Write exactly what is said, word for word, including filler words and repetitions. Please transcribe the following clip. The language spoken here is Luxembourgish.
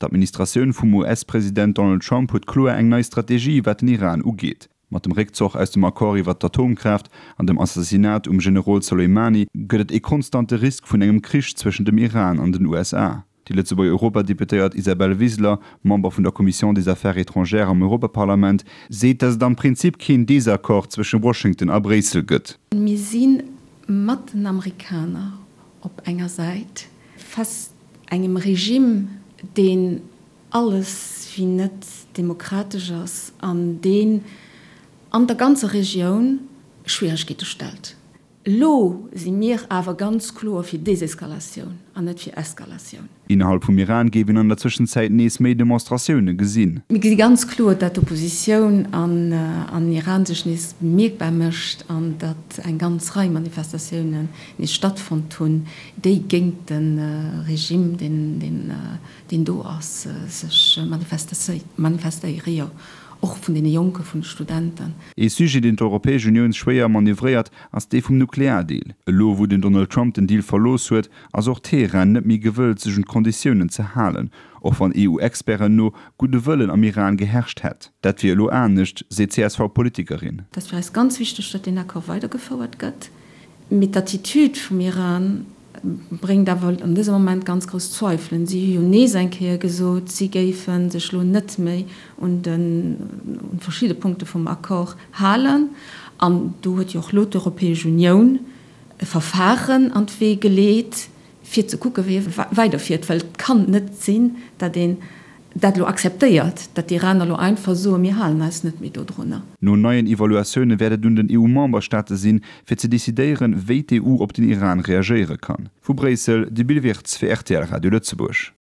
D'Administratioun vum US-President Donald Trump huet kloer eng nei Strategie wat den Iran ugeet. Mat dem Réckzoch aus dem Accord iwwer d'Atomkraaft an dem Assassinat um Generol Soleimani gëtt et e konstante Risk vun engem Krich zwëschen dem Iran an den USA. Déi Lëtzebuerger Europadeputéiert Isabel Wiseler, Member vun der Commission des Affaires étrangères am Europaparlament, seet, datt et am Prinzip keen Desaccord zwësche Washington a Bréissel gëtt. Mir si mat den Amerikaner op enger Säit, face engem Regime, deen alles wéi net demokratesch ass an deen an der ganzer Regioun Schwieregkeete stellt. Elo si mir awer ganz kloer fir Deseskalatioun an net fir Eskalatioun. Innerhalb vum Iran géif een an der Zwëschenzäit nees méi Demonstratioune gesinn. Mir gesi ganz kloer, datt d'Oppositioun an Iran sech nees bemierkbar mécht an datt eng ganz Rei Manifestatiounen nees stattfonnt hunn, déi géint de Regime, deen do ass, sech manifestéieren, jo och vun deene Jonken, vun de Studenten. Ee Sujet, deen d'Europäesch Unioun schwéier manövréiert, ass dee vum Nukleardeal. Elo wou den Donald Trump den Deal verlooss huet, ass och Teheran net méi gewëllt, sech un d'Konditiounen ze halen, och wann EU-Experten no gudde Wëllen am Iran geherrscht hätt. Dat wier elo anescht, seet d'CSV-Politikerin. Et ass fir eis ganz wichteg, datt deen Accord weidergefouert gëtt. Mee d'Attitude vum Iran bréngt awer an dësem Moment ganz grouss Zweifelen. Si hu jo nees eng Kéier gesot, si géife sech elo net méi un de verschidde Punkte vum Accord halen. An do huet jo och elo d'Europäesch Unioun e Verfahren an d'Wee geleet, fir ze kucke wéi ee weiderfiert, well et kann net sinn, datt een dat elo akzeptéiert, datt d'Iraner elo einfach soen, mir halen eis net méi dodrunner. No neien Evaluatioune wäert et un den EU-Memberstaate sinn, fir ze decidéieren, wéi d'EU op den Iran reagéiere kann. Vu Bréissel, de Bill Wirtz fir rtl Radio Lëtzebuerg.